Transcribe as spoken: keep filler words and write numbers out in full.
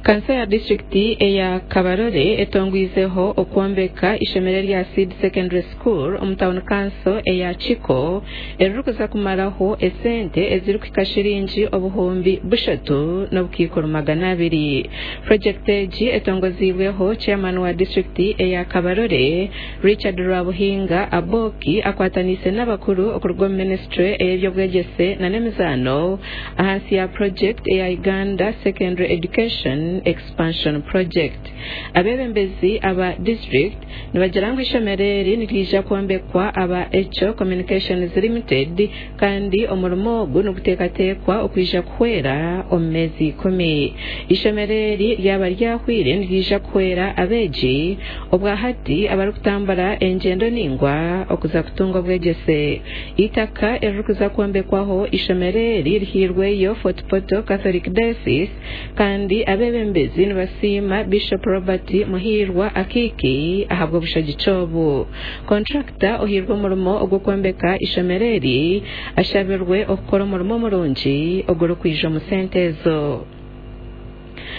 Kanso ya disitulikiti eya Kabarole etongwizeho okwombeka ishomero erya Seed Secondary School omu tawuni kanso eya Kiko eririkuza kumaraho esente ezirikuhika shiringi obuhumbi bushatu n'obukaikuru magana abiri. Purojekiti egi etongoziibweho chairman wa disitulikiti eya Kabarole Richard Rwabuhinga Aboki akwataniise n'abakuru okuruga omu minisitule ey'ebyobwegyese n'emizaano ahansi ya purojekiti eya Uganda Secondary Education Expansion Project. Abeebembezi aba district nibagira ngu ishomero eri niriija kwombekwa aba Echo Communications Limited kandi omurimo ogu niguteekateekwa okwija kuhwera omu meezi ikumi. Ishomero eri ryaba ryahwire niriija kuhwera abeegi obwahati abarikutambura engyendo ningwa okuza kutunga obwegyese. Eitaka eririkuza kwombekwaho ishomero eri rihairweyo Fort Portal Catholic Diocese kandi abeebembezi nibasiima Bishop Robert Muhiirwa Akiiki ahabw'obushagiki obu. Kontrakita ohairwe omurimo ogw'okwombeka ishomero eri ashabirwe okukora omurimo murungi ogurikwija omu sente ezo.